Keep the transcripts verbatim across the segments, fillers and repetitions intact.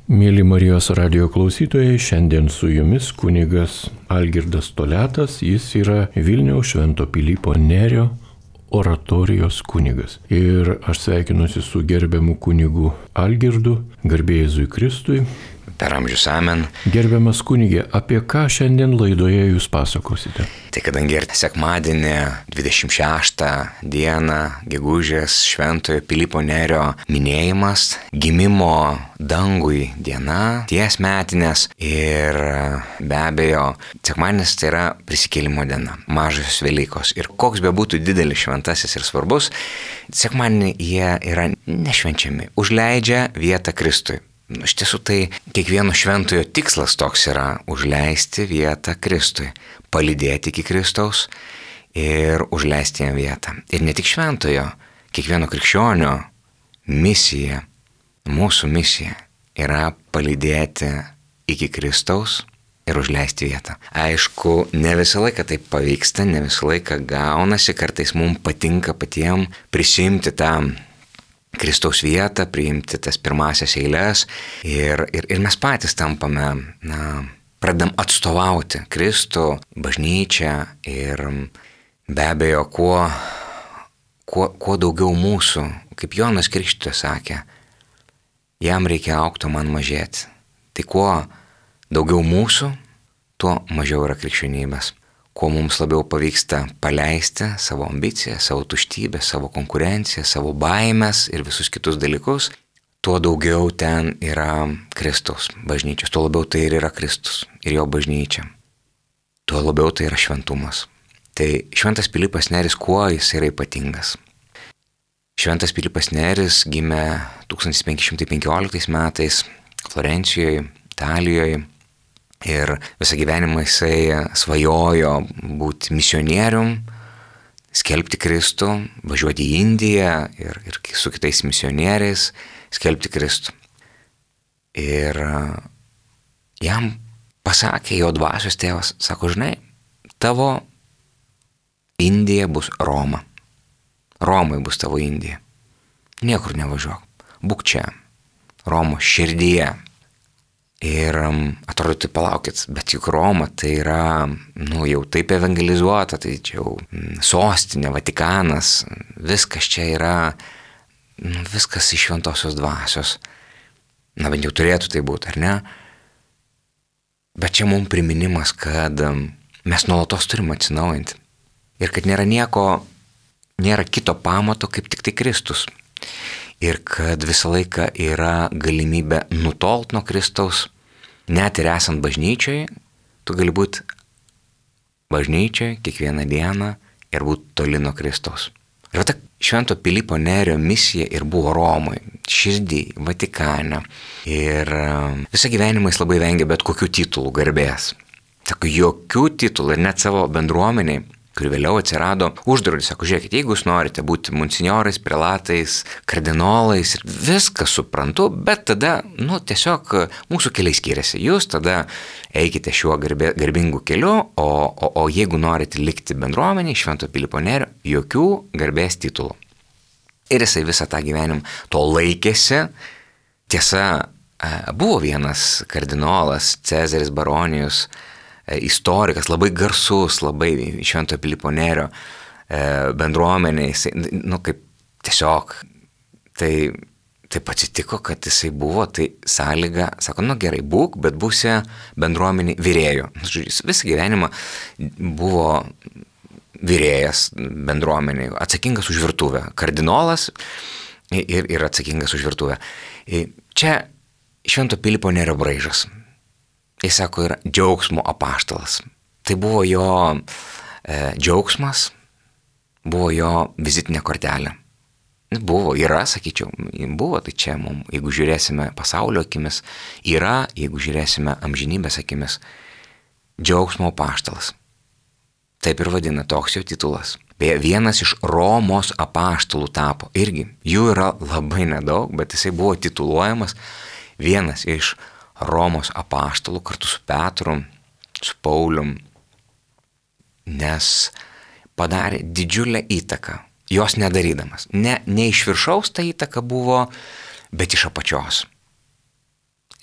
Mėly Marijos radijo klausytojai, šiandien su jumis kunigas Algirdas Toliatas, jis yra Vilniaus Švento Pilypo Nerio oratorijos kunigas. Ir aš sveikinuosi su gerbiamu kunigu Algirdu, garbė Jėzui Kristui. Per amžius amen. Gerbiamas kunigė, apie ką šiandien laidoje jūs pasakosite? Tai kadangi ir sekmadienį dvidešimt šeštą dieną gegužės Šventojo Pilypo Nerio minėjimas, gimimo dangui diena, ties metinės ir be abejo sekmadienis tai yra prisikėlimo diena, mažosios Velykos. Ir koks be būtų didelis šventasis ir svarbus, sekmadienį jie yra nešvenčiami, užleidžia vietą Kristui. Iš tiesų tai kiekvieno šventojo tikslas toks yra užleisti vietą Kristui, palydėti iki Kristaus ir užleisti jam vietą. Ir ne tik šventojo, kiekvieno krikščionio misija, mūsų misija yra palydėti iki Kristaus ir užleisti vietą. Aišku, ne visą laiką taip pavyksta, ne visą laiką gaunasi, kartais mums patinka patiems prisimti tą Kristaus vietą, priimti tas pirmasias eiles ir, ir, ir mes patys tampame, na, pradedam atstovauti Kristų, bažnyčią ir be abejo, kuo, kuo, kuo daugiau mūsų, kaip Jonas Krikštytojas sakė, jam reikia augti, man mažėti. Tai kuo daugiau mūsų, tuo mažiau yra krikščionybės. Kuo mums labiau pavyksta paleisti savo ambiciją, savo tuštybę, savo konkurenciją, savo baimės ir visus kitus dalykus, tuo daugiau ten yra Kristaus bažnyčios, tuo labiau tai ir yra Kristus ir jo bažnyčia. Tuo labiau tai yra šventumas. Tai Šventas Pilypas Neris, kuo jis yra ypatingas? Šventas Pilypas Neris gimė tūkstantis penki šimtai penkioliktais metais Florencijoje, Italijoje. Ir visą gyvenimą jisai svajojo būti misionierium, skelbti Kristų, važiuoti į Indiją ir, ir su kitais misionieriais skelbti Kristų. Ir jam pasakė jo dvasios tėvas, sako, žinai, tavo Indija bus Roma. Romai bus tavo Indija. Niekur nevažiuok, būk čia, Romos širdyje. Ir atrodo, tai palaukit, bet juk Roma tai yra, nu, jau taip evangelizuota, tai čia jau sostinė, Vatikanas, viskas čia yra, nu, viskas iš šventosios dvasios. Na, bent jau turėtų tai būti, ar ne? Bet čia mums priminimas, kad mes nuolatos turime atsinaujinti. Ir kad nėra nieko, nėra kito pamato, kaip tik tai Kristus. Ir kad visą laiką yra galimybė nutolt nuo Kristaus. Net ir esant bažnyčiai, tu gali būti bažnyčiai kiekvieną dieną ir būti toli nuo Kristaus. Ir ta Švento Pilypo Nerio misija ir buvo Romai, širdį, Vatikane. Ir visą gyvenimą jis labai vengė bet kokių titulų, garbės. Sako, jokių titulų ir net savo bendruomeniai, kuri vėliau atsirado, uždraudė, sako, žiūrėkit, jeigu jūs norite būti monsinjorais, prelatais, kardinolais, ir viską suprantu, bet tada, nu, tiesiog mūsų keliai skiriasi. Jūs tada eikite šiuo garbė, garbingu keliu, o, o, o jeigu norite likti bendruomeniai, Švento Pilypo Nerio, jokių garbės titulų. Ir jisai visą tą gyvenimą to laikėsi. Tiesa, buvo vienas kardinolas, Cezaris Baronijus, istorikas, labai garsus, labai Šventojo Pilypo Nerio bendruomeniai, jisai, nu, kaip tiesiog, tai taip atsitiko, kad jisai buvo, tai sąlyga, sako, nu gerai, būk, bet būsi bendruomeniai virėjų. Jis visą gyvenimą buvo virėjas bendruomeniai, atsakingas už virtuvę, kardinolas ir, ir atsakingas už virtuvę. Čia Švento Pilypo Nerio braižas. Jis sako, yra džiaugsmo apaštalas. Tai buvo jo e, džiaugsmas, buvo jo vizitinė kortelė. Buvo, yra, sakyčiau, buvo, tai čia mums, jeigu žiūrėsime pasaulio akimis, yra, jeigu žiūrėsime amžinybės akimis, džiaugsmo apaštalas. Taip ir vadina, toks jo titulas. Beje, vienas iš Romos apaštalų tapo. Irgi, jų yra labai nedaug, bet jisai buvo tituluojamas vienas iš Romos apaštalų kartu su Petru, su Paulium, nes padarė didžiulę įtaką, jos nedarydamas. Ne, ne iš viršaus ta įtaka buvo, bet iš apačios.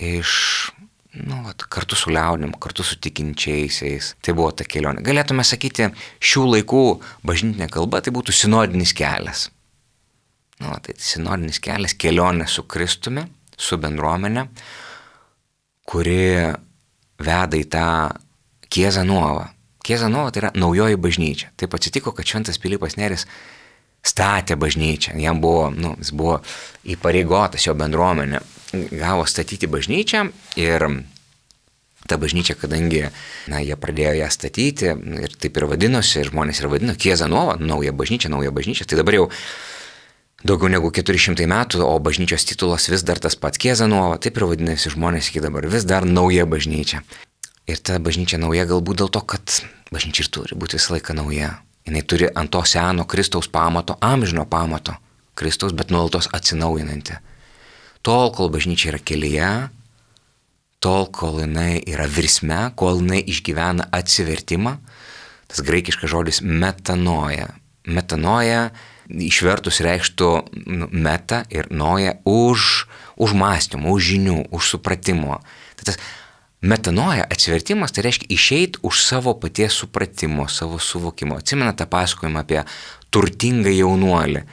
iš, nu, vat, kartu su liaudim, kartu su tikinčiaisiais. Tai buvo ta kelionė. Galėtume sakyti, šių laikų bažnytinė kalba tai būtų sinodinis kelias. Nu, tai sinodinis kelias, kelionė su Kristumi, su bendruomenė, kuri veda į tą Chiesa Nuova. Chiesa Nuova tai yra naujoji bažnyčia. Taip atsitiko, kad šventas Pilypas Nėris statė bažnyčią. Jam buvo, nu, jis buvo įpareigotas, jo bendruomenė gavo statyti bažnyčią ir ta bažnyčia, kadangi, na, jie pradėjo ją statyti ir taip ir vadinosi, ir žmonės ir vadino Chiesa Nuova, nauja bažnyčia, nauja bažnyčia. Tai dabar jau daugiau negu keturi šimtai metų, o bažnyčios titulas vis dar tas pats Chiesa Nuova, taip ir vadinasi žmonės iki dabar, vis dar nauja bažnyčia. Ir ta bažnyčia nauja galbūt dėl to, kad bažnyčia ir turi būti visą laiką nauja. Jis turi ant to seno Kristaus pamato, amžino pamato Kristaus, bet nuolatos atsinaujinanti. Tol, kol bažnyčia yra kelyje, tol, kol jinai yra virsme, kol jinai išgyvena atsivertimą, tas graikiškas žodis metanoja. Metanoja išvertus reikštų meta ir noja už, už mąstymų, už žinių, už supratimo. Tai tas metanoja atsivertimas, tai reiškia išeiti už savo paties supratimo, savo suvokimo. Atsimena tą pasakojimą apie turtingą jaunuolį,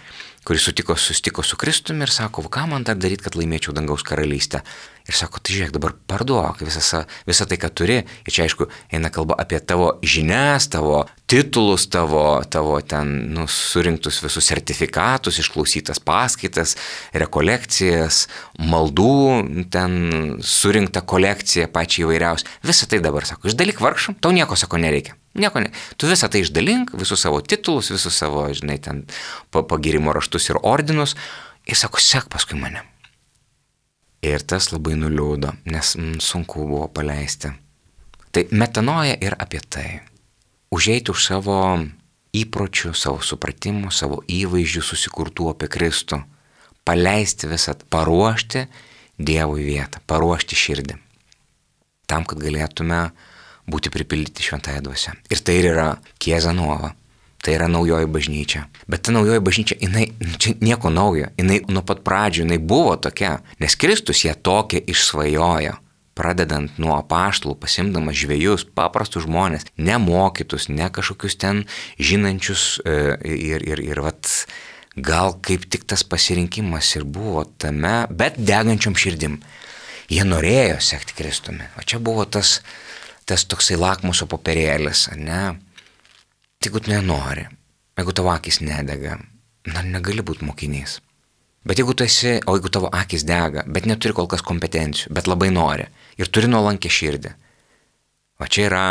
kuris sutiko, susitiko su Kristumi ir sako, ką man dar daryti, kad laimėčiau dangaus karalystę. Ir sako, tai žiūrėk, dabar parduok visą, visą tai, ką turi. Ir čia, aišku, eina kalba apie tavo žinias, tavo titulus, tavo, tavo ten, nu, surinktus visus sertifikatus, išklausytas paskaitas, rekolekcijas, maldų, ten surinktą kolekciją pačią įvairiausią. Visą tai dabar, sako, išdalyk vargšam, tau nieko, sako, nereikia. Nieko ne. Tu visą tai išdalink, visus savo titulus, visus savo, žinai, ten pagirimo raštus ir ordinus. Ir sako, sek paskui mane. Ir tas labai nuliūdo, nes mm, sunku buvo paleisti. Tai metanoja ir apie tai. Užeiti už savo įpročių, savo supratimų, savo įvaizdžių susikurtų apie Kristų. Paleisti visą, paruošti Dievui vietą, paruošti širdį. Tam, kad galėtume būti pripildyti šventąją dvasią. Ir tai ir yra Chiesa Nuova. Tai yra naujoji bažnyčia. Bet ta naujoji bažnyčia, jinai, čia nieko naujo, jinai nuo pat pradžių, jinai buvo tokia, nes Kristus ją tokia išsvajojo, pradedant nuo apaštalų, pasimdamas žvejus, paprastus žmonės, nemokytus, ne kažkokius ten žinančius ir, ir, ir vat, gal kaip tik tas pasirinkimas ir buvo tame, bet degančiom širdim. Jie norėjo sekti Kristumi. O čia buvo tas, tas toksai lakmuso popierėlis, ne? Jeigu tu nenori, jeigu tavo akis nedega, na, negali būti mokinys. Bet jeigu tu esi, o jeigu tavo akis dega, bet neturi kol kas kompetencijų, bet labai nori ir turi nuolankę širdį, o čia yra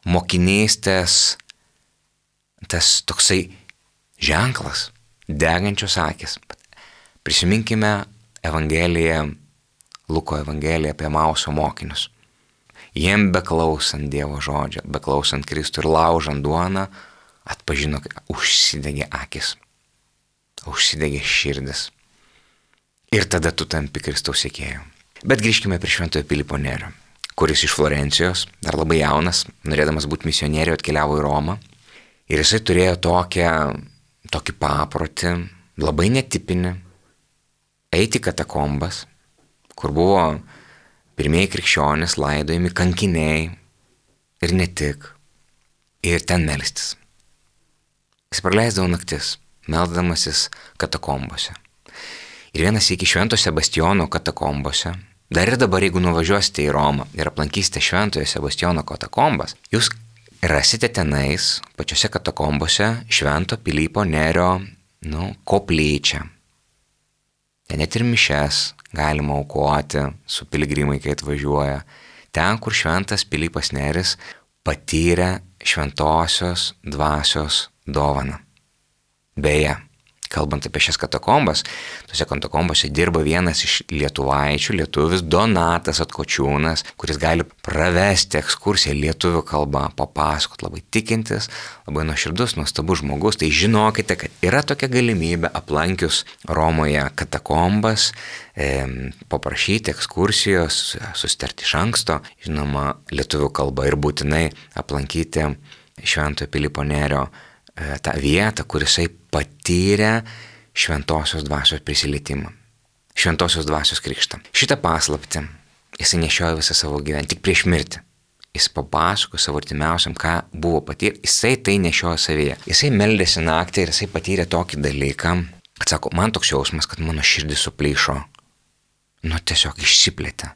mokinystės tas toksai ženklas, degančios akis. Prisiminkime Evangeliją, Luko Evangeliją apie Emauso mokinius. Jiem beklausant Dievo žodžio, beklausant Kristų ir laužant duoną, atpažino, kad užsidegė akis, užsidegė širdis. Ir tada tu tampi Kristaus sekėju. Bet grįžkime prie šventojo Pilypo Nėrio, kuris iš Florencijos, dar labai jaunas, norėdamas būti misionieriu, atkeliavo į Romą. Ir jisai turėjo tokią, tokį paprotį, labai netipinį, eiti į katakombas, kur buvo pirmieji krikščionys laidojami, kankiniai ir ne tik, ir ten melstis. Jis praleisdavo naktis, meldamasis katakombose. Ir vienas iki Švento Sebastijono katakombose, dar ir dabar, jeigu nuvažiuosite į Romą ir aplankysite Šventojo Sebastijono katakombas, jūs rasite tenais, pačiose katakombose, Švento Pilypo Nėrio, nu, koplyčią. Ten net ir mišes galima aukoti su piligrimai, kai atvažiuoja. Ten, kur šventas Pilypas Nėris patyrė šventosios dvasios dovaną. Beje, kalbant apie šias katakombas, tose katakombose dirba vienas iš lietuvaičių, lietuvis Donatas Atkočiūnas, kuris gali pravesti ekskursiją lietuvių kalbą, papasakot, labai tikintis, labai nuoširdus, nuostabus žmogus. Tai žinokite, kad yra tokia galimybė aplankius Romoje katakombas, e, paprašyti ekskursijos, susitarti iš anksto, žinoma, lietuvių kalbą ir būtinai aplankyti Šventojo Pilypo Nėrio e, tą vietą, kur jisai patyrė šventosios dvasios prisilietimą, šventosios dvasios krikštą. Šitą paslaptį jisai nešiojo visą savo gyvenimą, tik prieš mirtį. Jis papasako savo artimiausiam, ką buvo patyrę, jisai tai nešiojo savyje. Jisai meldėsi naktį ir jisai patyrė tokį dalyką, kad sako, man toks jausmas, kad mano širdis suplyšo, nu tiesiog išsiplėtė.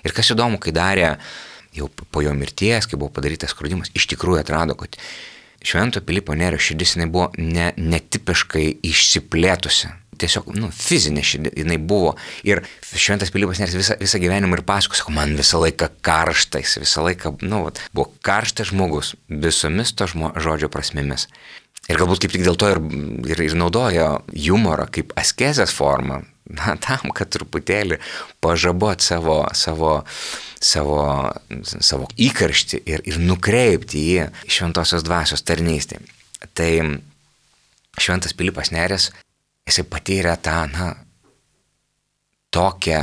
Ir kas įdomu, kai darė jau po jo mirties, kai buvo padarytas skrudimas, iš tikrųjų atrado, kad Švento Pilypo Nėrio širdis jinai buvo ne, netipiškai išsiplėtusi. Tiesiog, nu, fizinė širdis jinai buvo. Ir Šventas Pilypas Nėris visą, visą gyvenimą ir pasako, sako, man visą laiką karštais, visą laiką, nu, buvo karštas žmogus visomis to žmo, žodžio prasmėmis. Ir galbūt kaip tik dėl to ir, ir, ir naudojo humorą kaip askezės formą, na, tam, kad truputėlį pažabot savo, savo, savo, savo įkarštį ir, ir nukreipti į šventosios dvasios tarnystę. Tai Šventas Pilypas Nėris, jisai patyrė tą, na, tokią,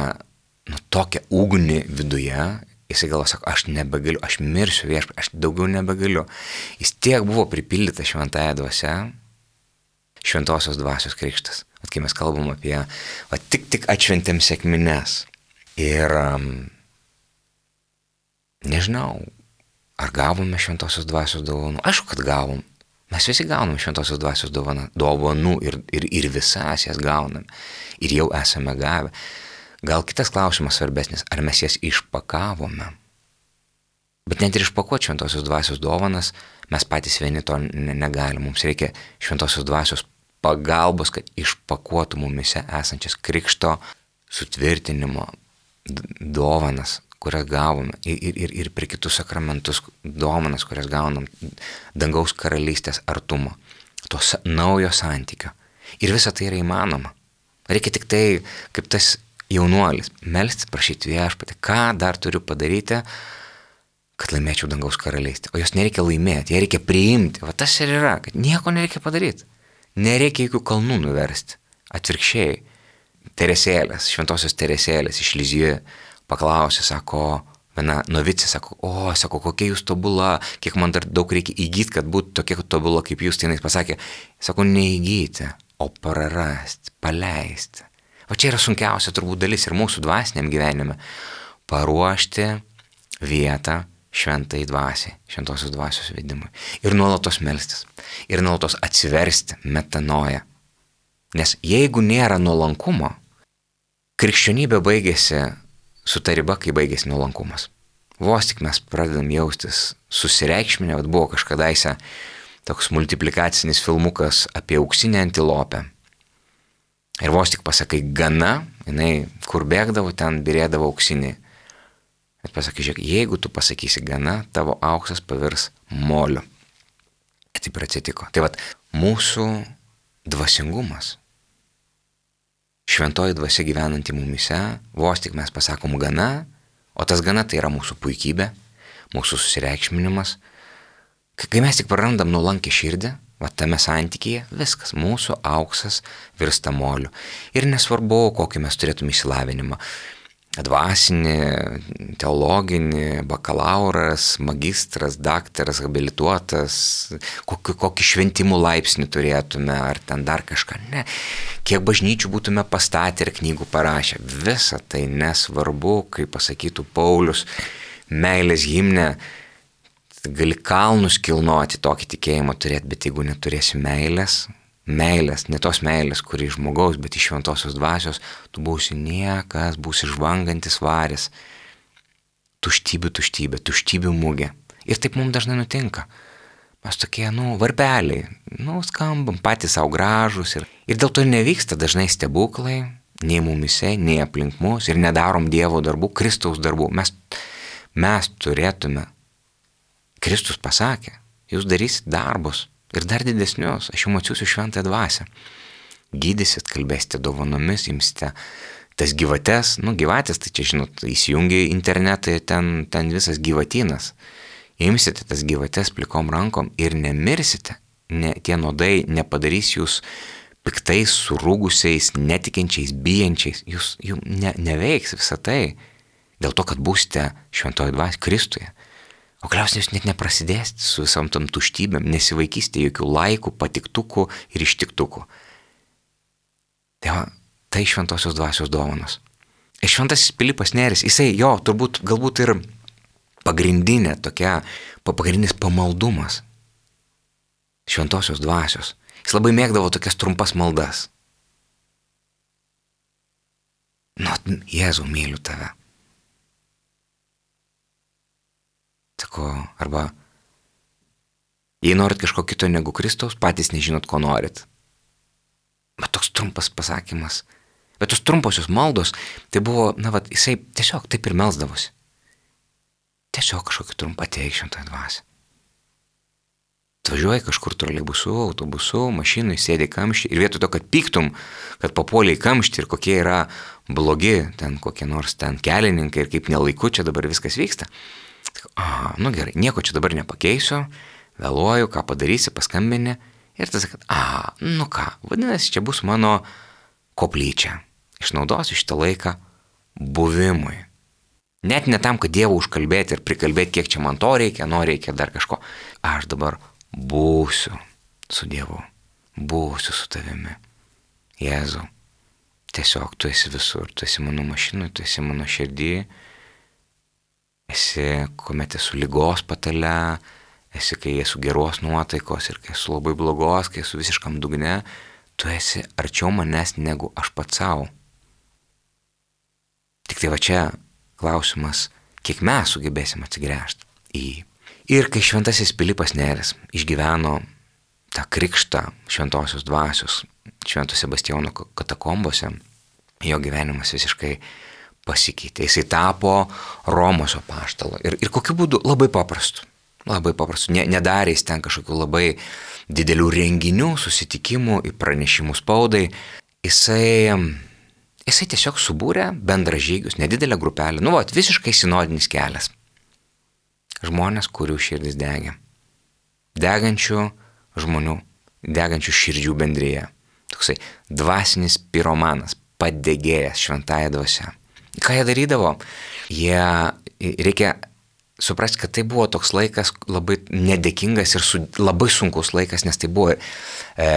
nu, tokią ugnį viduje, jisai galvo, sako, aš nebegaliu, aš mirsiu viešpatie, aš daugiau nebegaliu. Jis tiek buvo pripildyta šventąja dvasia, šventosios dvasios krikštas. At kai mes kalbam apie, va, tik tik atšventėm sekmines. Ir um, nežinau, ar gavome šventosios dvasios dovanų. Aišku, kad gavom. Mes visi gauname šventosios dvasios dovaną, dovanų ir, ir, ir visas jas gauname. Ir jau esame gavę. Gal kitas klausimas svarbesnis, ar mes jas išpakavome. Bet net ir išpakuoti šventosios dvasios dovanas, mes patys vieni to negalim. Mums reikia šventosios dvasios pagalbos, kad išpakuotų mumise esančias krikšto sutvirtinimo dovanas, kurias gavome, ir, ir, ir per kitus sakramentus dovanas, kurias gaunam, dangaus karalystės artumo, to naujo santykio. Ir visa tai yra įmanoma. Reikia tik tai, kaip tas jaunuolis, melstis, prašyti viešpatį, ką dar turiu padaryti, kad laimėčiau dangaus karalystę. O jos nereikia laimėti, ją reikia priimti. Va tas ir yra, kad nieko nereikia padaryti. Nereikia jokių kalnų nuversti. Atvirkščiai, Teresėlės, šventosios Teresėlės iš Lizijų paklausė, sako, viena novicė, sako, o, sako, kokia jūs tobula, kiek man dar daug reikia įgyti, kad būtų tokia tobula kaip jūs. Tai jis pasakė, sako, neįgyti, o prarasti, paleisti. O čia yra sunkiausia turbūt dalis ir mūsų dvasiniam gyvenime. Paruošti vietą šventai dvasiai, šventosios dvasios vedimui. Ir nuolatos melstis. Ir nuolatos atsiversti, metanoja. Nes jeigu nėra nuolankumo, krikščionybė baigėsi su ta riba, kai baigėsi nuolankumas. Vos tik mes pradedam jaustis susireikšminę, bet buvo kažkadaise toks multiplikacinis filmukas apie auksinę antilopę. Ir vos tik pasakai gana, jinai kur bėgdavo, ten birėdavo auksinį. Bet pasakai, žiūrėk, jeigu tu pasakysi gana, tavo auksas pavirs moliu. Ir taip ir atsitiko. Tai vat, mūsų dvasingumas, šventoji dvasia gyvenanti mumise, vos tik mes pasakom gana, o tas gana tai yra mūsų puikybė, mūsų susireikšminimas. Kai mes tik prarandam nuolankę širdį, va tame santykyje, viskas, mūsų auksas virsta moliu. Ir nesvarbu, kokį mes turėtume išsilavinimą. Dvasinį, teologinį, bakalauras, magistras, daktaras, habilituotas, kokį, kokį šventimų laipsnį turėtume, ar ten dar kažką. Ne. Kiek bažnyčių būtume pastatę ir knygų parašę. Visa tai nesvarbu, kaip pasakytų Paulius, meilės himne. Gali kalnus kilnoti, tokį tikėjimą turėti, bet jeigu neturėsi meilės, meilės, ne tos meilės, kuri iš žmogaus, bet iš šventosios dvasios, tu būsi niekas, būsi žvangantis varis. Tuštybė, tuštybė, tuštybių mūgė. Ir taip mums dažnai nutinka. Mes tokie, nu, varpeliai, nu, skambam, patys savo gražus. Ir, ir dėl to nevyksta dažnai stebuklai, nei mumise, nei aplink mus, ir nedarom Dievo darbų, Kristaus darbų. Mes, mes turėtume, Kristus pasakė, jūs darysit darbus. Ir dar didesnius, aš jums atsiųsiu šventąją dvasią. Gydysit, kalbėsite dovanomis, imsite tas gyvates, nu gyvatės, tai čia žinot, įsijungi internetą, ten, ten visas gyvatynas. Imsite tas gyvates plikom rankom ir nemirsite. Ne, tie nuodai nepadarys jūs piktais, surūgusiais, netikinčiais, bijančiais. Jūs jums ne, neveiks visą tai dėl to, kad būsite šventoji dvasia Kristuje. O kliausiai jūs net neprasidėsite su visom tom tuštybėm, nesivaikysite jokių laikų, patiktukų ir ištiktukų. Tai, va, tai šventosios dvasios dovanos. Ir šventasis Pilypas Nėris, jisai jo, turbūt, galbūt ir pagrindinė tokia, pagrindinis pamaldumas šventosios dvasios. Jis labai mėgdavo tokias trumpas maldas. Nu, Jėzau, myliu tave. Sako, arba jei norit kažko kito negu Kristaus, patys nežinot, ko norit. Bet toks trumpas pasakymas. Bet tos trumposios maldos, tai buvo, na, vat, jisai tiesiog taip ir melsdavosi. Tiesiog kažkokį trumpą ateik šventąją dvasią. Atvažiuoji kažkur troleibusu, autobusu, mašinui, sėdi kamštį ir vietoj to, kad pyktum, kad papuoliai kamštį ir kokie yra blogi ten kokie nors ten kelininkai ir kaip nelaiku čia dabar viskas vyksta. A, nu gerai, nieko čia dabar nepakeisiu, vėluoju, ką padarysi, paskambini ir tada sakai, a, nu ką, vadinasi, čia bus mano koplyčia. Išnaudosiu šitą laiką buvimui. Net ne tam, kad Dievą užkalbėti ir prikalbėti, kiek čia man to reikia, no reikia dar kažko. Aš dabar būsiu su Dievu, būsiu su tavimi. Jėzau, tiesiog tu esi visur, tu esi mano mašinui, tu esi mano širdį, esi, kuomet esu lygos patale, esi, kai esu geros nuotaikos ir kai esu labai blogos, kai esu visiškam dugne, tu esi arčiau manęs negu aš pats savo. Tik tai va čia klausimas, kiek mes sugebėsim atsigręžti į jį. Ir kai šventasis Pilypas Nėris išgyveno tą krikštą šventosios dvasios Švento Sebastijono katakombose, jo gyvenimas visiškai pasikeitė. Jisai tapo Romos apaštalu. Ir, ir kokiu būdu? Labai paprastu. Labai paprastu. Ne, nedarė jis ten kažkokių labai didelių renginių, susitikimų, pranešimų spaudai. Jisai, jisai tiesiog subūrė bendražygius, nedidelę grupelę. Nu, vat, visiškai sinodinis kelias. Žmonės, kurių širdis degia. Degančių žmonių, degančių širdžių bendryje. Toksai dvasinis piromanas, padegėjęs šventąją dvasią. Ką jie darydavo? Jie, reikia suprasti, kad tai buvo toks laikas labai nedėkingas ir su, labai sunkus laikas, nes tai buvo e,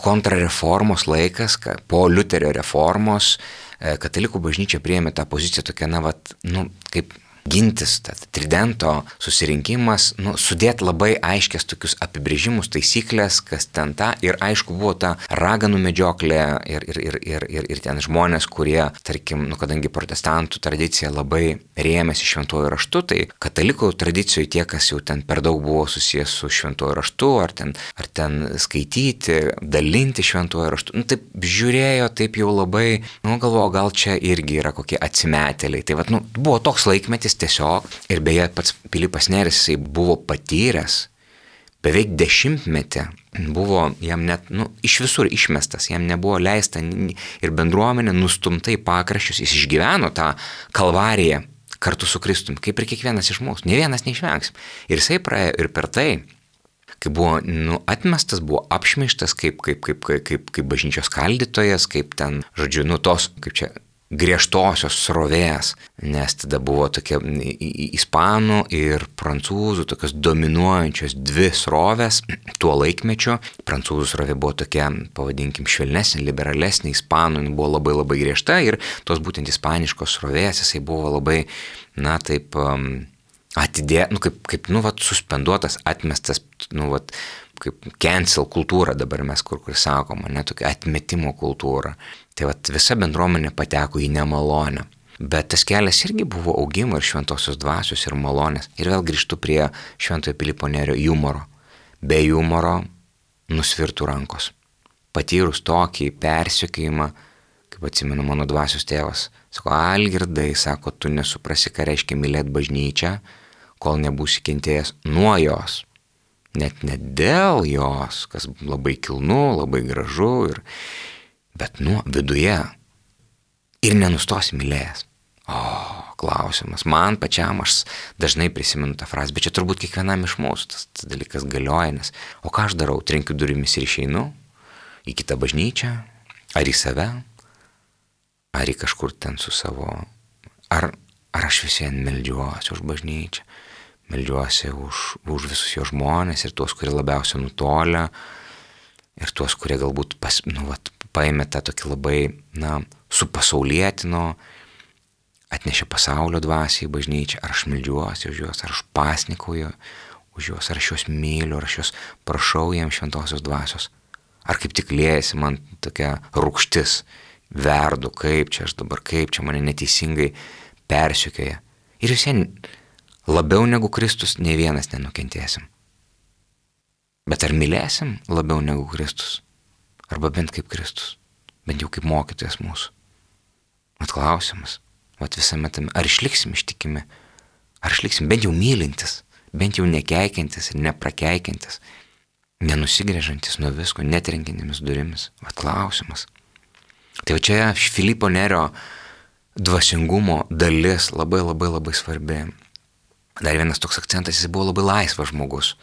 kontrareformos laikas, ka, po Liuterio reformos e, katalikų bažnyčia priėmė tą poziciją tokia, na, vat, nu, kaip gintis, tridento susirinkimas, nu, sudėti labai aiškias tokius apibrėžimus, taisyklės, kas ten ta, ir aišku buvo ta raganų medžioklė ir, ir, ir, ir, ir, ir ten žmonės, kurie, tarkim, nu, kadangi protestantų tradicija labai rėmėsi šventuoju raštu, tai katalikų tradicijoje tie, kas jau ten per daug buvo susijęs su šventuoju raštu, ar ten, ar ten skaityti, dalinti šventuoju raštu, nu, taip žiūrėjo, taip jau labai, nu, galvoju, gal čia irgi yra kokie atsimetėliai. Tai vat, nu, buvo toks laikmetis tiesiog, ir beje pats Pilypas Nėris, jisai buvo patyręs, beveik dešimtmetį buvo jam net, nu, iš visur išmestas, jam nebuvo leista ir bendruomenė nustumta į pakraščius, jis išgyveno tą kalvariją kartu su Kristumi, kaip ir kiekvienas iš mūsų, ne vienas neišvengsim. Ir jisai praėjo ir per tai, kai buvo, nu, atmestas, buvo apšmeižtas kaip, kaip, kaip, kaip, kaip, kaip bažnyčios skaldytojas, kaip ten, žodžiu, nu, tos, kaip čia, griežtosios srovės, nes tada buvo tokia ispanų ir prancūzų tokios dominuojančios dvi srovės tuo laikmečiu. Prancūzų srovė buvo tokia, pavadinkim, švelnesnė, liberalesnė, ispanų buvo labai labai griežta ir tos būtent ispaniškos srovės, jisai buvo labai, na, taip um, atidė, nu, kaip, kaip, nu, vat, suspenduotas, atmestas, nu, vat, kaip cancel kultūra dabar mes kur kur sakoma, ne, tokia atmetimo kultūra. Tai vat, visa bendruomenė pateko į nemalonę. Bet tas kelias irgi buvo augimo ir šventosios dvasios ir malonės. Ir vėl grįžtu prie šventojo Pilypo Nėrio humoro. Be humoro nusvirtų rankos. Patyrus tokį persekiojimą, kaip atsimenu mano dvasios tėvas, sako, Algirdai, sako, tu nesuprasi, ką reiškia mylėti bažnyčią, kol nebūsi kentėjęs nuo jos. Net ne dėl jos, kas labai kilnu, labai gražu, ir, bet nuo viduje. Ir nenustosi mylėjęs. O, klausimas. Man pačiam aš dažnai prisimenu tą frazę, bet čia turbūt kiekvienam iš mūsų tas, tas dalykas galioja, nes o ką aš darau? Trenkiu durimis ir išeinu į kitą bažnyčią, ar į save, ar į kažkur ten su savo, ar, ar aš visien meldžiuosi už bažnyčią, meldžiuosi už, už visus jo žmonės ir tuos, kurie labiausiai nutolia, ir tuos, kurie galbūt pas, nu, vat, paėmė tą tokį labai, na, supasaulietino atnešė pasaulio dvasią į bažnyčią, ar aš meldžiuosi už juos, ar aš pasnikuoju už juos, ar aš juos myliu, ar aš juos prašau jiems šventosios dvasios. Ar kaip tik liejasi man tokia rūgštis, verdu, kaip čia aš dabar, kaip čia mane neteisingai persekioja. Ir visien labiau negu Kristus nei vienas nenukentėsim. Bet ar mylėsim labiau negu Kristus? Arba bent kaip Kristus? Bent jau kaip mokytojas mūsų? Mat klausimas, vat visame tame, ar išliksim ištikimi? Ar išliksim bent jau mylintis, bent jau nekeikiantis ir neprakeikiantis, nenusigrėžantis nuo visko, netrenkinėmis durimis? Vat klausimas. Tai va čia Filipo Nerio dvasingumo dalis labai labai labai svarbi. Dar vienas toks akcentas, jis buvo labai laisvas žmogus.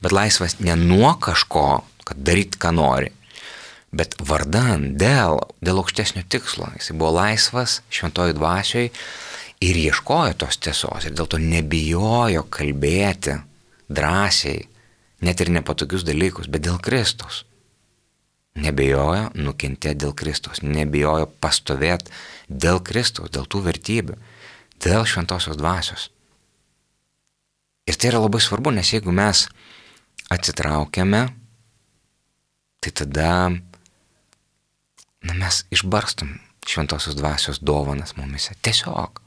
Bet laisvas ne nuo kažko, kad daryt ką nori, bet vardan, dėl, dėl aukštesnio tikslo. Jis buvo laisvas šventojoj dvasioj ir ieškojo tos tiesos ir dėl to nebijojo kalbėti drąsiai, net ir nepatogius dalykus, bet dėl Kristaus. Nebijojo nukentėti dėl Kristaus, nebijojo pastovėti dėl Kristaus, dėl tų vertybių, dėl šventosios dvasios. Ir tai yra labai svarbu, nes jeigu mes atsitraukiame, tai tada na, mes išbarstum šventosios dvasios dovanas mumise. Tiesiog.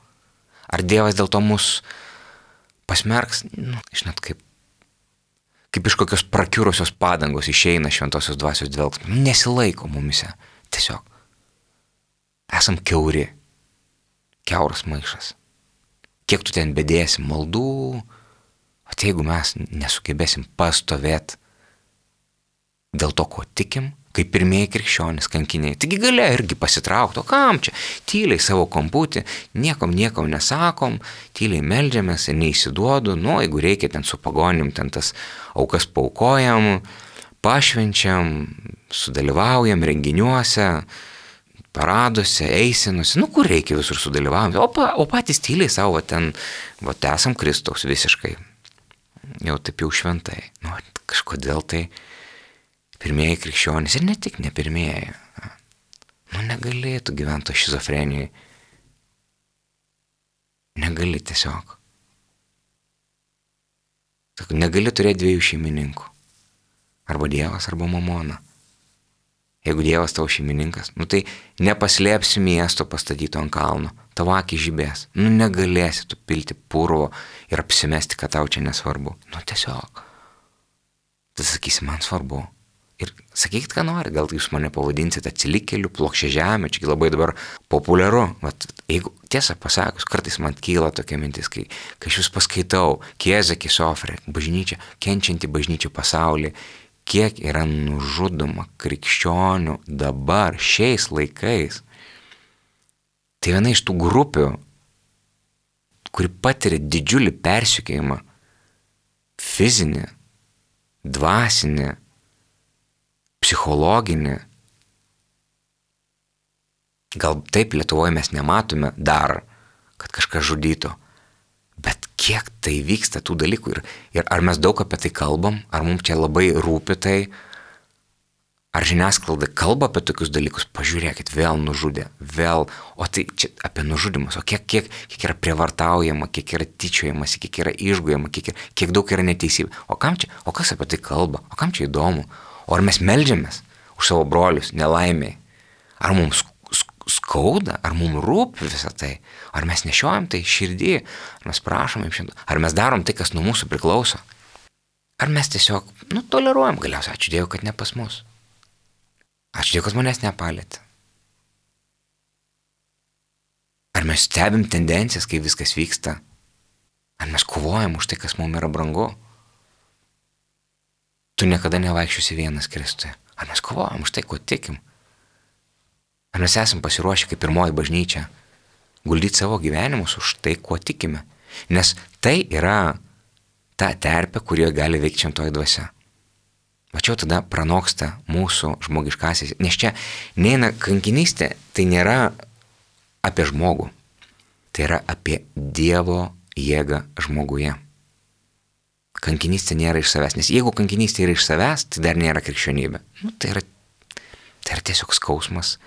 Ar Dievas dėl to mus pasmerks? Nu, žinot, kaip, kaip iš kokios prakiurusios padangos išeina šventosios dvasios dvelgsmas. Nesilaiko mumise. Tiesiog. Esam kiauri. Kiauras maišas. Kiek tu ten bedėsi maldų, o tai jeigu mes nesugebėsim pastovėti dėl to, ko tikim, kaip pirmieji krikščionys kankiniai, taigi galia irgi pasitraukti, o kam čia? Tyliai savo kamputį, niekam niekam nesakom, tyliai meldžiamės ir neįsiduodu, nu, jeigu reikia ten su pagonim, ten tas aukas paukojam, pašvenčiam, sudalyvaujam renginiuose, paraduose, eisinuose, nu, kur reikia visur sudalyvaujam, o, pa, o patys tyliai savo ten, va, esam Kristaus visiškai. Jau taip jau šventai. Nu, kažkodėl tai pirmieji krikščionys ir ne tik ne pirmieji. Nu, negali tu gyventi šizofrenijai. Negali tiesiog. Negali turėti dviejų šeimininkų. Arba Dievas, arba mamona. Jeigu Dievas tavo šeimininkas, nu tai nepaslėpsi miesto pastatyto ant kalno. Tavo akį žibės. Nu negalėsi tu pilti purvo ir apsimesti, kad tau čia nesvarbu. Nu tiesiog. Tai sakysi, man svarbu. Ir sakykit, ką nori, gal jūs mane pavadinsite atsilikėliu, plokščia žemė, čia labai dabar populiaru. Vat, jeigu tiesą pasakus, kartais man kyla tokia mintis, kai, kai aš jūs paskaitau, Chiesa che soffre, bažnyčia, kenčianti bažnyčia pasaulyje, kiek yra nužudoma krikščionių dabar, šiais laikais. Tai viena iš tų grupių, kuri patiria didžiulį persekiojimą, fizinį, dvasinį, psichologinį. Gal taip Lietuvoje mes nematome dar, kad kažkas žudytų, bet kiek tai vyksta tų dalykų ir, ir ar mes daug apie tai kalbam, ar mums čia labai rūpi tai, ar žiniasklaida kalba apie tokius dalykus, pažiūrėkit, vėl nužudė, vėl, o tai čia apie nužudimus, o kiek, kiek, kiek yra prievartaujama, kiek yra tyčiojamasi, kiek yra išgojama, kiek, yra, kiek daug yra neteisybė. O kam čia, o kas apie tai kalba, o kam čia įdomu? O ar mes meldžiamės už savo brolius nelaimiai? Ar mums skauda, ar mums rūpi visą tai? Ar mes nešiojam tai širdį, ar mes prašom jums šiandien, ar mes darom tai, kas nuo mūsų priklauso? Ar mes tiesiog, nu, toleruojam galiausiai, ačiū Dievui, kad ne pas mus. Ačiū Dievui, kad manęs nepalėtė. Ar mes stebim tendencijas, kai viskas vyksta? Ar mes kovojam už tai, kas mums yra brangu? Tu niekada nevaikščiosi vienas Kristuje. Ar mes kovojam už tai, ko tikim? Ar mes esam pasiruošę kaip pirmoji bažnyčia guldyti savo gyvenimus už tai, kuo tikime? Nes tai yra ta terpė, kurioje gali veikti šventoji dvasia. Va čia tada pranoksta mūsų žmogiškasis. Nes čia neina kankinystė, tai nėra apie žmogų. Tai yra apie Dievo jėgą žmoguje. Kankinystė nėra iš savęs. Nes jeigu kankinystė yra iš savęs, tai dar nėra krikščionybė. Nu, tai, yra, tai yra tiesiog skausmas,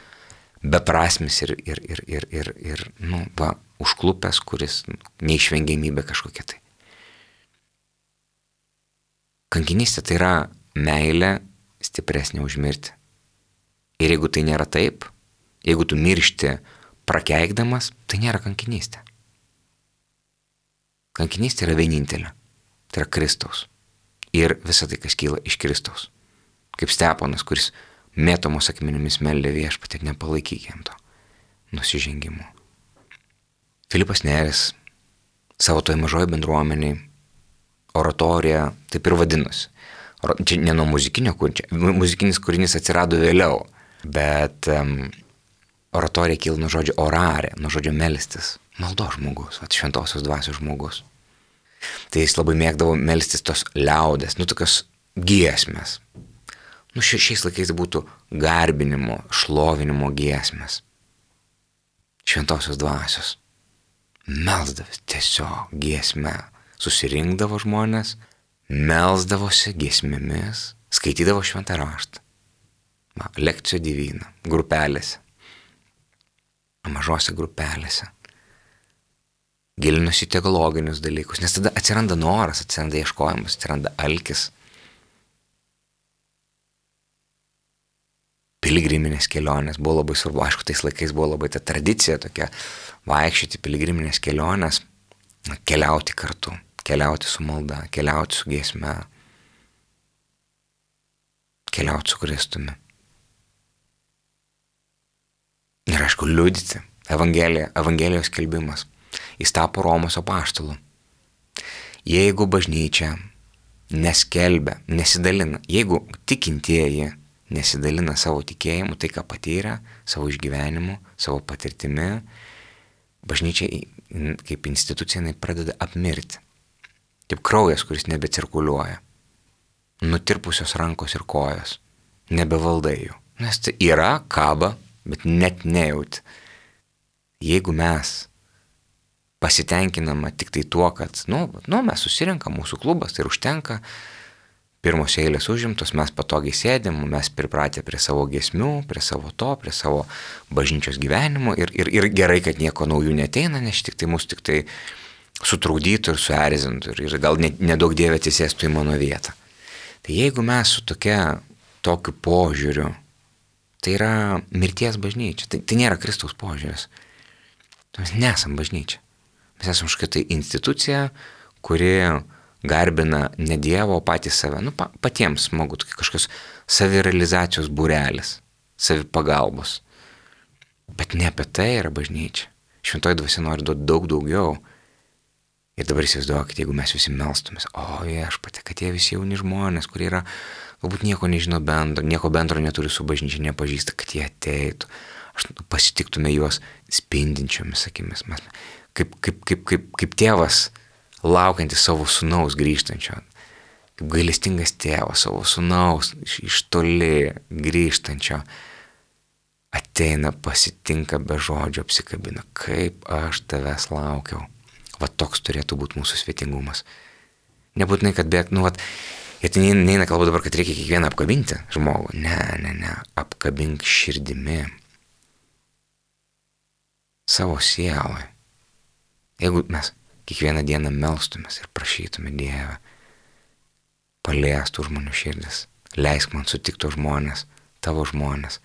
beprasmis ir, ir, ir, ir, ir, ir nu, va, užklupęs, kuris neišvengiamybė kažkokia tai. Kankinystė tai yra meilė stipresnė už mirtį. Ir jeigu tai nėra taip, jeigu tu miršti prakeikdamas, tai nėra kankinystė. Kankinystė yra vienintelė. Tai yra Kristaus. Ir visa tai, kas kyla iš Kristaus. Kaip Steponas, kuris mėtomos akmenimis meldė Viešpatie, nepalaikyk jam to nusižengimo. Filipas Neris savo toj mažoje bendruomeniai oratorija taip ir vadinosi. Čia ne nuo muzikinio kūrinio, muzikinis kūrinys atsirado vėliau, bet um, oratorija kyla nuo žodžio orare, nuo žodžio melstis, maldos žmogus, vat, šventosios dvasios žmogus. Tai jis labai mėgdavo melstis tos liaudės, nu tokios giesmės. Nu šiais laikais būtų garbinimo, šlovinimo giesmės. Šventosios dvasios. Melsdavęs tiesiog giesmę. Susirinkdavo žmonės, melsdavosi giesmėmis, skaitydavo šventą raštą. Va, lekcijų divina, grupelėse, mažose grupelėse. Gilinosi teologinius dalykus, nes tada atsiranda noras, atsiranda ieškojimas, atsiranda alkis. Piligriminės kelionės buvo labai svarbu, aišku, tais laikais buvo labai ta tradicija tokia, vaikščioti piligriminės kelionės, keliauti kartu. Keliauti su malda, keliauti su giesme, keliauti su Kristumi. Ir aišku, liudyti Evangeliją, Evangelijos skelbimas. Jis tapo Romos apaštalu. Jeigu bažnyčia neskelbia, nesidalina, jeigu tikintieji nesidalina savo tikėjimu, tai ką patyrė, savo išgyvenimu, savo patirtimi, bažnyčia kaip institucija jinai pradeda apmirti. Kaip kraujas, kuris nebecirkuliuoja. Nutirpusios rankos ir kojos. Nebevaldai jų. Nes tai yra, kaba, bet net nejauti. Jeigu mes pasitenkinama tik tai tuo, kad, nu, nu mes susirenkam, mūsų klubas, tai užtenka, pirmos eilės užimtos, mes patogiai sėdėm, mes pripratę prie savo giesmių, prie savo to, prie savo bažnyčios gyvenimo ir, ir, ir gerai, kad nieko naujų neteina, nes tik tai mūsų tik tai sutrukdytų ir suerzintų ir, ir gal nedaug dievė atsisėstų į mano vietą. Tai jeigu mes su tokia, tokiu požiūriu, tai yra mirties bažnyčia, tai, tai nėra Kristaus požiūris. Mes nesam bažnyčia. Mes esam kažkokia tai institucija, kuri garbina ne Dievo, o patys save. Nu, pa, patiems smagu, kažkokios savirealizacijos būrelis, savipagalbos. Bet ne apie tai yra bažnyčia. Šventoji dvasia nori duoti daug daugiau. Ir dabar įsivaizduokit, jeigu mes visi melstumės, o Viešpatie, kad tie visi jauni žmonės, kurie yra, galbūt nieko nežino bendro, nieko bendro neturi su bažnyčia, nepažįsta, kad jie ateitų, aš pasitiktume juos spindinčiomis akimis. Mes, kaip, kaip, kaip, kaip, kaip tėvas laukiantis savo sūnaus grįžtančio, kaip gailestingas tėvas savo sūnaus iš, iš toli grįžtančio, ateina, pasitinka be žodžio, apsikabina, kaip aš tavęs laukiau. Va toks turėtų būti mūsų svetingumas. Nebūtinai, kad bėg, nu, vat, ir tai neina kalba dabar, kad reikia kiekvieną apkabinti žmogų. Ne, ne, ne, apkabink širdimi. Savo sielai. Jeigu mes kiekvieną dieną melstumės ir prašytume Dievą, paliestų žmonių širdis, leisk man sutikti žmonės, tavo žmonės,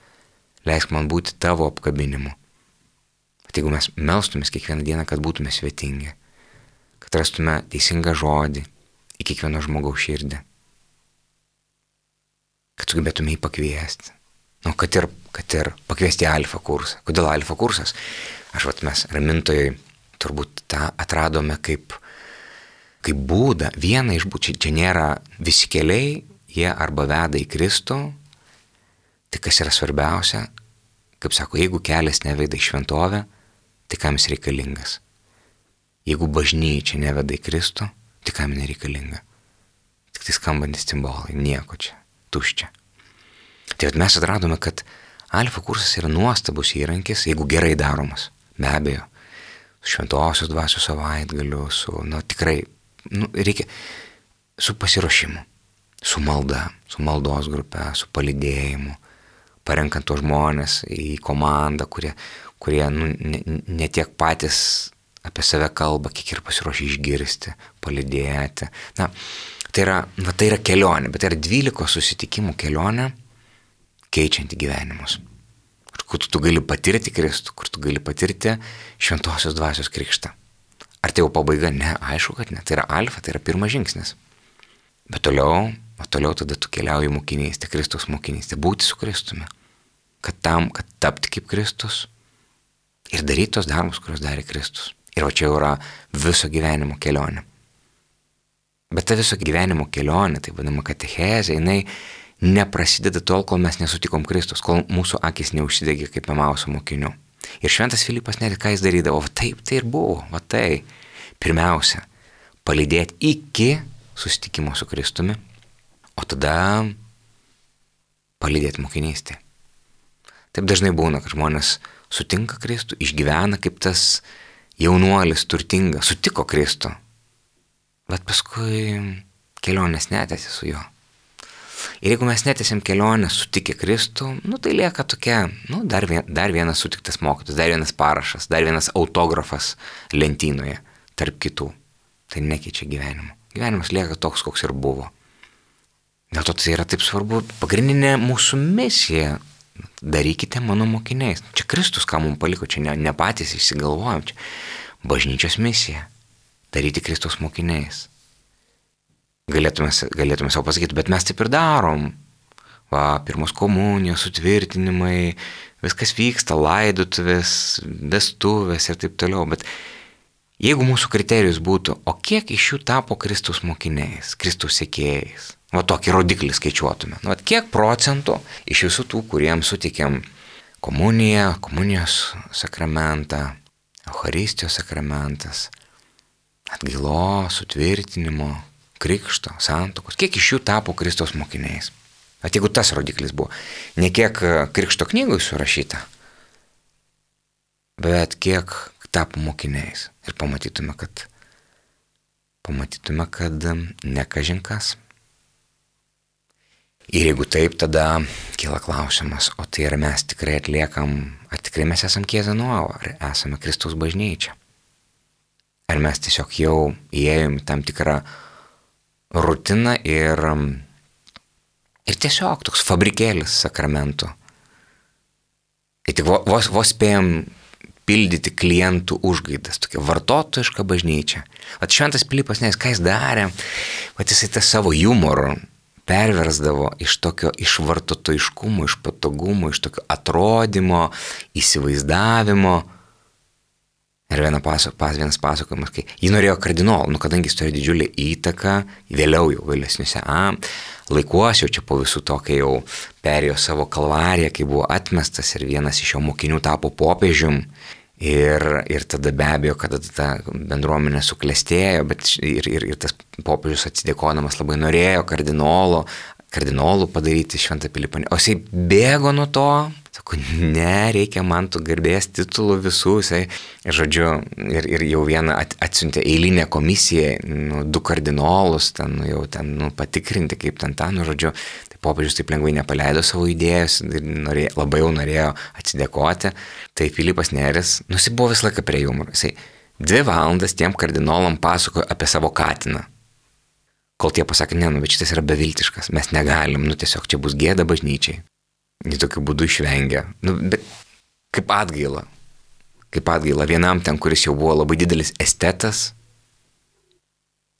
leisk man būti tavo apkabinimu. Bet jeigu mes melstumės kiekvieną dieną, kad būtume svetingi, kad rastume teisingą žodį į kiekvieno žmogaus širdį, kad sugebėtume jį pakviesti. Nu, kad ir, kad ir pakviesti alfa kursą. Kodėl alfa kursas? Aš vat mes ramintojai turbūt tą atradome kaip, kaip būdą. Viena iš būdų, čia, čia nėra visi keliai, jie arba veda į Kristų. Tai kas yra svarbiausia, kaip sako, jeigu kelias neveda į šventovę, tai kam jis reikalingas? Jeigu bažnyčia neveda į Kristų, tai kam jis reikalinga? Tik tai skambantis cimbolai, nieko čia, tuščia. Tai mes atradome, kad alfa kursas yra nuostabus įrankis, jeigu gerai daromas, be abejo, su šventosios dvasios savaitgaliu, su, nu, tikrai, nu, reikia, su pasiruošimu, su malda, su maldos grupe, su palydėjimu, parenkant tos žmonės į komandą, kurie, kurie nu, ne, ne tiek patys apie save kalba, kiek ir pasiruošę išgirsti, palydėti. Na, tai yra, na, tai yra kelionė, bet tai yra dvylikos susitikimų kelionė, keičianti gyvenimus. Kur tu, tu gali patirti Kristų, kur tu gali patirti šventosios dvasios krikštą. Ar tai jau pabaiga? Ne, aišku, kad ne. Tai yra alfa, tai yra pirmas žingsnis. Bet toliau, o toliau tada tu keliauji mokinystė, Kristaus mokinystė, būti su Kristumi. Kad tam, kad tapti kaip Kristus ir daryti tos darbus, kuriuos darė Kristus. Ir va čia jau yra viso gyvenimo kelionė. Bet ta viso gyvenimo kelionė, tai vadinama katechezė, jinai neprasideda tol, kol mes nesutikom Kristus, kol mūsų akis neužsidegė kaip Emauso mokinių. Ir šventas Filipas net ką jis darydavo, va taip tai ir buvo, va tai. Pirmiausia, palydėti iki susitikimo su Kristumi, o tada palydėti mokinystę. Taip dažnai būna, kad žmonės sutinka Kristų, išgyvena kaip tas jaunuolis turtingas, sutiko Kristų, bet paskui kelionės netęsė su juo. Ir jeigu mes netęsim kelionę sutikę Kristų, nu tai lieka tokia, nu dar, vien, dar vienas sutiktas mokytojas, dar vienas parašas, dar vienas autografas lentynoje tarp kitų. Tai nekeičia gyvenimo. Gyvenimas lieka toks, koks ir buvo. Dėl to tai yra taip svarbu, pagrindinė mūsų misija. Darykite mano mokiniais. Čia Kristus, ką mums paliko, čia ne, ne patys išsigalvojam, čia bažnyčios misija. Daryti Kristaus mokiniais. Galėtume, galėtume savo pasakyti, bet mes taip ir darom. Va, pirmos komunijos, sutvirtinimai, viskas vyksta, laidotuvės, vestuvės ir taip toliau. Bet jeigu mūsų kriterijus būtų, o kiek iš jų tapo Kristaus mokiniais, Kristaus sekėjais, va tokį rodiklį skaičiuotume. Va, kiek procentų iš visų tų, kuriems suteikėm komuniją, komunijos sakramentą, Eucharistijos sakramentas, atgailos, sutvirtinimo, krikšto, santuokos, kiek iš jų tapo Kristaus mokiniais. At jeigu tas rodiklis buvo, ne kiek krikšto knygoj surašyta, bet kiek tapo mokiniais. Ir pamatytume, kad pamatytume, kad ne kažin kas. Ir jeigu taip, tada kyla klausimas, o tai ar mes tikrai atliekam, ar tikrai mes esam Chiesa Nuova, ar esame Kristaus bažnyčia. Ar mes tiesiog jau įėjom į tam tikrą rutiną ir, ir tiesiog toks fabrikėlis sakramentų. Ir tik vos, vos spėjom pildyti klientų užgaidas, tokia vartotojiška bažnyčia. Vat šventas Pilypas, nes ką jis darė, vat jisai tą savo humorą perversdavo iš tokio iš vartotojiškumo, iš patogumo, iš tokio atrodymo, įsivaizdavimo. Ir viena paso, pas, vienas pasakojimas, kai jis norėjo kardinolų, nu kadangi jis turėjo didžiulį įtaką, vėliau jau vėlesniuose a, laikuose, jau čia po visų to, kai jau perėjo savo kalvariją, kai buvo atmestas ir vienas iš jo mokinių tapo popiežium. Ir, ir tada be abejo, kada ta bendruomenė suklestėjo, bet ir, ir, ir tas popiežius atsidėkodamas labai norėjo kardinolo, kardinolų padaryti šventą Pilypą. O jisai bėgo nuo to. Sako, ne, reikia man tų garbės titulų visų. Jisai, žodžiu, ir, ir jau vieną at, atsiuntė eilinę komisiją, nu, du kardinolus, ten, nu, jau ten, nu, patikrinti, kaip ten tą, nu, žodžiu. Tai popiežius taip lengvai nepaleido savo idėjos ir norėjo, labai jau norėjo atsidėkoti. Tai Pilypas Nėris, nu, jisai buvo visą laiką prie humoro. Jisai dvi valandas tiem kardinolam pasakojo apie savo katiną. Kol tie pasakė, ne, nu, bet šitas yra beviltiškas, mes negalim, nu, tiesiog čia bus gėda bažnyčiai. Jį tokiu būdu išvengia. Nu, bet kaip atgaila. Kaip atgaila vienam ten, kuris jau buvo labai didelis estetas.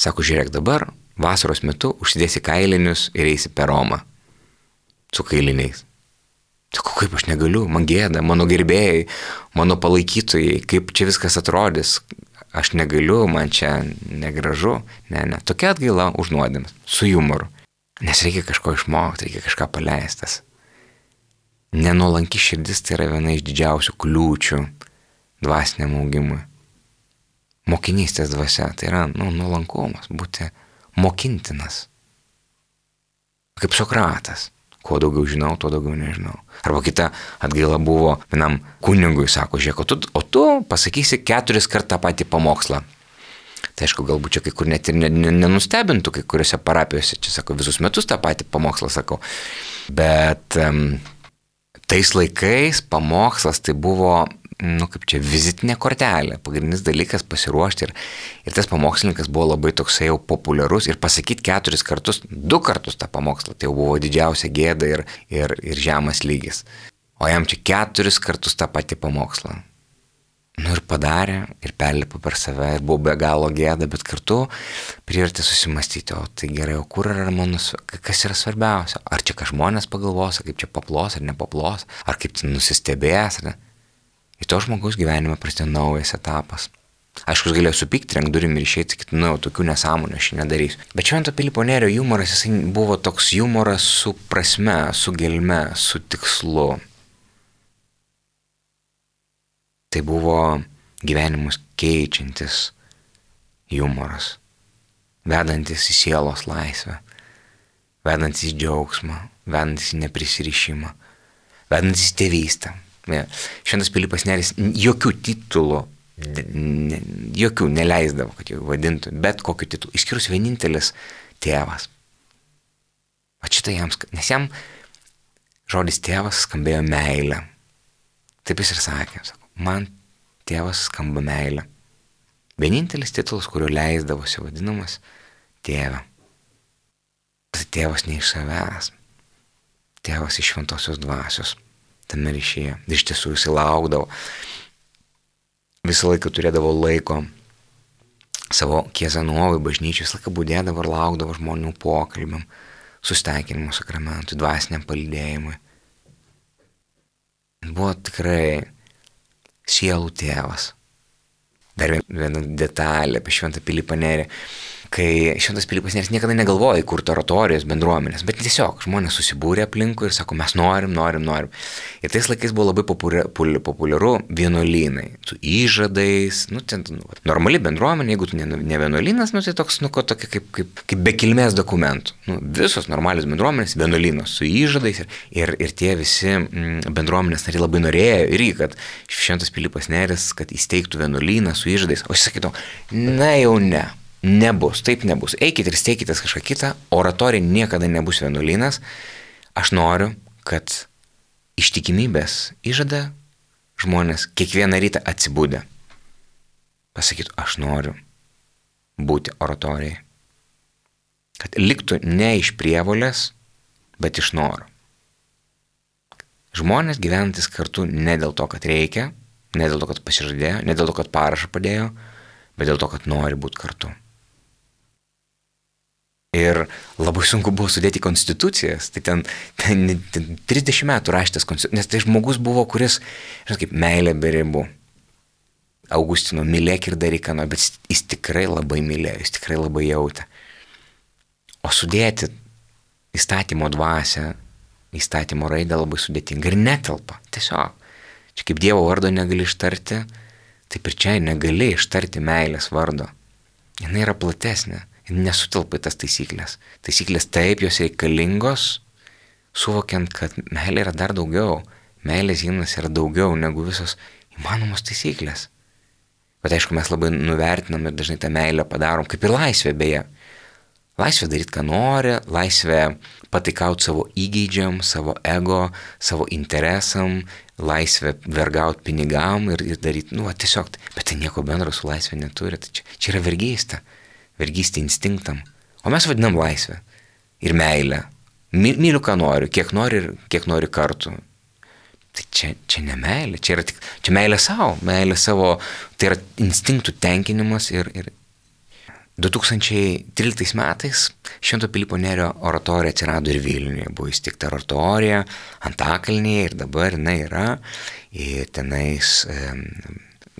Sako, žiūrėk dabar, vasaros metu užsidėsi kailinius ir eisi per Romą. Su kailiniais. Sako, kaip aš negaliu, man gėda, mano gerbėjai, mano palaikytojai, kaip čia viskas atrodys. Aš negaliu, man čia negražu. Ne, ne. Tokia atgaila už nuodėmes. Su humoru. Nes reikia kažko išmokti, reikia kažką paleistas. Nenuolanki širdis tai yra viena iš didžiausių kliūčių dvasiniam augimui. Mokinystės dvasia tai yra nu, nuolankumas, būti mokintinas. Kaip Sokratas. Kuo daugiau žinau, tuo daugiau nežinau. Arba kita atgaila buvo vienam kunigui, sako, žiūrėk, o tu, o tu pasakysi keturis kart tą patį pamokslą. Tai aišku, galbūt čia kai kur net ir nenustebintų, kai kuriuose parapijose, čia sako, visus metus tą patį pamokslą sakau. Bet um, tais laikais pamokslas tai buvo, nu kaip čia, vizitinė kortelė, pagrindinis dalykas pasiruošti ir, ir tas pamokslininkas buvo labai toksai jau populiarus ir pasakyti keturis kartus, du kartus tą pamokslą, tai jau buvo didžiausia gėda ir, ir, ir žemas lygis. O jam čia keturis kartus tą patį pamokslą. Nu ir padarė, ir perlipo per save, ir buvo be galo gėda, bet kartu privertė susimastyti, o tai gerai, o kur yra mano, kas yra svarbiausia? Ar čia ką žmonės pagalvos, kaip čia paplos ar nepaplos, ar kaip tai nusistebės, ar ne? Į to žmogaus gyvenime prasidėjo naujas etapas. Aišku, jis galėjo supykti, renk durim ir išeiti, sakyti, nu, tokių nesąmonių aš nedarysiu. Bet Švento Pilypo Nėrio humoras, jisai buvo toks humoras su prasme, su gelme, su tikslu. Tai buvo gyvenimus keičiantis humoras, vedantis į sielos laisvę, vedantis į džiaugsmą, vedantis į neprisirišimą, vedantis į tėvystę. Šventas Pilypas Nėris jokių titulų, ne, jokių neleisdavo, kad jau vadintų, bet kokiu titulu, išskyrus vienintelis tėvas. O šitą jam, nes jam žodis tėvas skambėjo meilę. Taip jis ir sakė, sako, man tėvas skamba meilė. Vienintelis titulas, kurio leisdavosi vadinamas tėve. Tai tėvas ne iš savęs. Tėvas iš šventosios dvasios. Tame ryšyje. Iš tiesų jis laukdavo. Visą laiką turėdavo laiko savo Kiezanovai bažnyčiai. Visą laiką būdėdavo ir laukdavo žmonių pokalbiam, susitaikinimo sakramentui, dvasiniam palydėjimui. Buvo tikrai sielų tėvas. Dar viena detalė apie Šventą Pilypą Nėrį. Kai Šventas Pilypas Nėris niekada negalvoja įkurti oratorijos bendruomenės, bet tiesiog žmonės susibūrė aplinkui ir sako, mes norim, norim, norim. Ir tais laikais buvo labai populiaru vienuolynai, su įžadais, nu, ten, nu, normali bendruomenė, jeigu tu ne, ne vienuolynas, nu, tai toks, nu, ko, tokia kaip, kaip, kaip be kilmės dokumentų. Nu, visos normalios bendruomenės, vienuolynos su įžadais ir, ir, ir tie visi mm, bendruomenės nariai labai norėjo irgi, kad Šventas Pilypas Nėris, kad įsteigtų vienuolyną su įžadais, o jis sakytų, na jau ne. Nebus, taip nebus. Eikit ir steikitės kažką kitą, oratorija niekada nebus vienuolynas. Aš noriu, kad ištikimybės įžada žmonės kiekvieną rytą atsibudę pasakytų, aš noriu būti oratorijai. Kad liktų ne iš prievolės, bet iš noro. Žmonės gyvenantis kartu ne dėl to, kad reikia, ne dėl to, kad pasižadėjo, ne dėl to, kad parašą padėjo, bet dėl to, kad nori būti kartu. Ir labai sunku buvo sudėti konstitucijas, tai ten, ten, ten trisdešimt metų rašytas konstitucijas, nes tai žmogus buvo, kuris, žinot, kaip meilė be ribų. Augustino, mylėk ir daryk ką nori, bet jis tikrai labai mylėjo, jis tikrai labai jautė. O sudėti įstatymo dvasią, įstatymo raidę labai sudėtinga ir netelpa, tiesiog. Čia kaip Dievo vardo negali ištarti, taip ir čia negali ištarti meilės vardo. Jis yra platesnė. Nesutelpa į tas taisyklės. Taisyklės taip, jos reikalingos, suvokiant, kad meilė yra dar daugiau. Meilės himnas yra daugiau negu visos įmanomos taisyklės. Bet aišku, mes labai nuvertinam ir dažnai tą meilę padarom, kaip ir laisvė beje. Laisvė daryti, ką nori, laisvė pataikauti savo įgeidžiam, savo ego, savo interesam, laisvė vergauti pinigam ir, ir daryti, nu, tiesiog, bet tai nieko bendro su laisvė neturi. Tai čia, čia yra vergystė. Vergystė instinktam. O mes vadinam laisvę ir meilę. Myliu, ką noriu, kiek nori ir kiek nori kartų. Tai čia, čia ne meilė, čia yra tik, čia meilė savo, meilė savo, tai yra instinktų tenkinimas ir, ir du tūkstančiai tryliktais metais Švento Pilypo Nėrio oratorija atsirado ir Vilniuje. Buvo įsteigta oratorija Antakalnyje ir dabar jinai yra. Ir tenais e,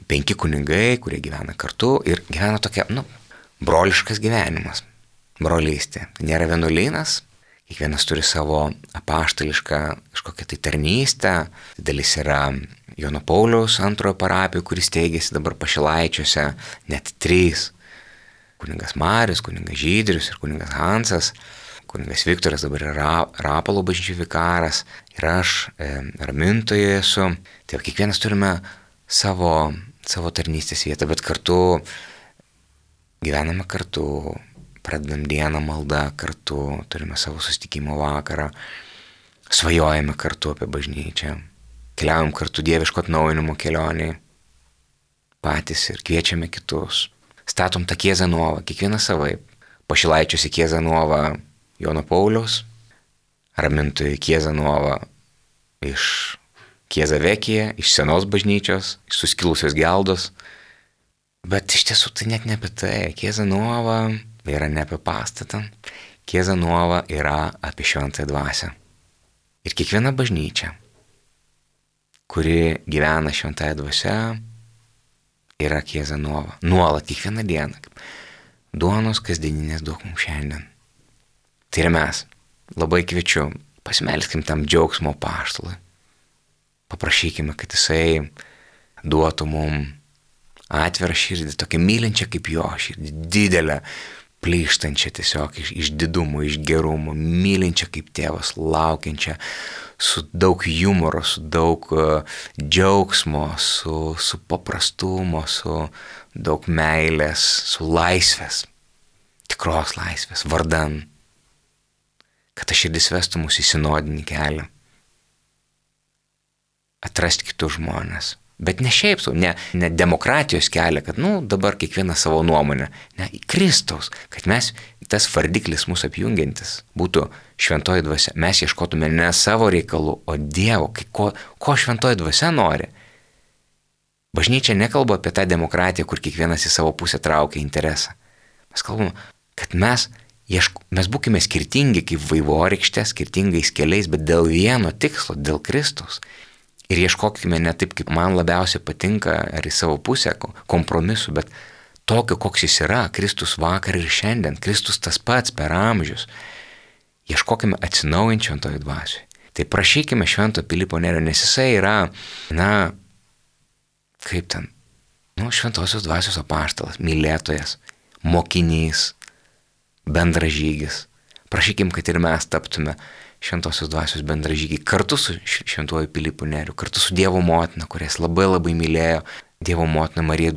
penki kunigai, kurie gyvena kartu ir gyvena tokia, nu, broliškas gyvenimas, brolystė. Tai nėra vienuolynas, kiekvienas turi savo apaštališką kažkokią tai tarnystę. Dalis yra Jono Pauliaus antrojo parapijų, kuris steigėsi dabar Pašilaičiuose, net trys. Kuningas Marius, kuningas Žydrius ir kuningas Hansas. Kuningas Viktoras dabar yra Rapalo bažnyčių vikaras ir aš e, ramintoje esu. Tai kiekvienas turime savo, savo tarnystės vietą, bet kartu gyvename kartu, pradedam dieną maldą kartu, turime savo susitikimo vakarą, svajojame kartu apie bažnyčią, keliaujam kartu dieviško atnaujinimo kelionėje patys ir kviečiame kitus. Statom tą Chiesa Nuova, kiekvieną savaip. Pašilaičiusi Chiesa Nuova Jono Pauliaus, ramintojai Chiesa Nuova iš Chiesa Vecchia, iš senos bažnyčios, iš suskilusios geldos. Bet iš tiesų tai net ne apie tai. Chiesa Nuova yra ne apie pastatą. Chiesa Nuova yra apie šventąją dvasią. Ir kiekviena bažnyčia, kuri gyvena šventąją dvasią, yra Chiesa Nuova. Nuolat, kiekvieną dieną. Duonos kasdieninės duok mums šiandien. Tai ir mes. Labai kviečiu, pasimelskim tam džiaugsmo apaštalui. Paprašykime, kad jisai duotų mums atvirą širdį, tokią mylinčią kaip jo širdį, didelę, plyštančią tiesiog iš, iš didumo, iš gerumo, mylinčią kaip tėvas, laukiančią, su daug humoro, su daug uh, džiaugsmo, su, su paprastumo, su daug meilės, su laisvės, tikros laisvės, vardan, kad ta širdis vestų mus į sinodinį kelią, atrasti kitus žmonės. Bet ne šiaip sau, ne, ne demokratijos kelią, kad, nu, dabar kiekvieną savo nuomonę, ne, į Kristaus, kad mes, tas vardiklis mūsų apjungiantis, būtų šventoji dvasia. Mes ieškotume ne savo reikalų, o Dievo, ko, ko šventoji dvasia nori. Bažnyčia nekalba apie tą demokratiją, kur kiekvienas į savo pusę traukia interesą. Mes kalbame, kad mes, ieško, mes būkime skirtingi kaip vaivorykštė, skirtingais keliais, bet dėl vieno tikslo, dėl Kristaus. Ir ieškokime ne taip, kaip man labiausiai patinka, ar į savo pusę kompromisų, bet tokio, koks jis yra, Kristus vakar ir šiandien, Kristus tas pats per amžius. Ieškokime atsinaujinti šventojo dvasiui. Tai prašykime Švento Pilypo Nerio, nes jisai yra, na, kaip ten, nu, šventosios dvasios apaštalas, mylėtojas, mokinys, bendražygis. Prašykim, kad ir mes taptume šventosios dvasios bendražygiai kartu su Šventuoju Pilypu Neriu, kartu su Dievo motina, kurias labai labai mylėjo. Dievo motina Marija,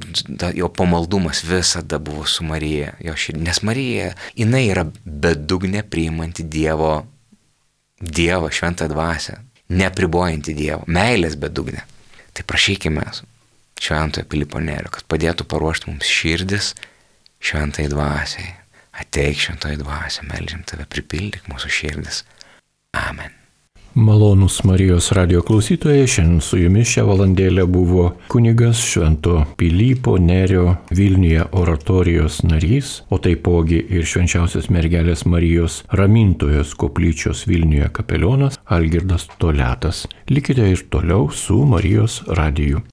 jo pamaldumas visada buvo su Marija, jo širdį, nes Marija, jinai yra bedugnė priimanti Dievo, Dievo šventą dvasią, nepribojanti Dievo, meilės bedugnė. Tai prašykime Šventojo Pilypo Nerio, kad padėtų paruošti mums širdis šventai dvasiai. Ateik šventoji dvasia, meldžiam tave, pripildyk mūsų širdis. Amen. Malonūs Marijos radijo klausytojai, šiandien su jumis šią valandėlę buvo kunigas Švento Pilypo Nerio Vilniuje oratorijos narys, o taipogi ir Švenčiausios mergelės Marijos Ramintojos koplyčios Vilniuje kapelionas Algirdas Toliatas. Likite ir toliau su Marijos radiju.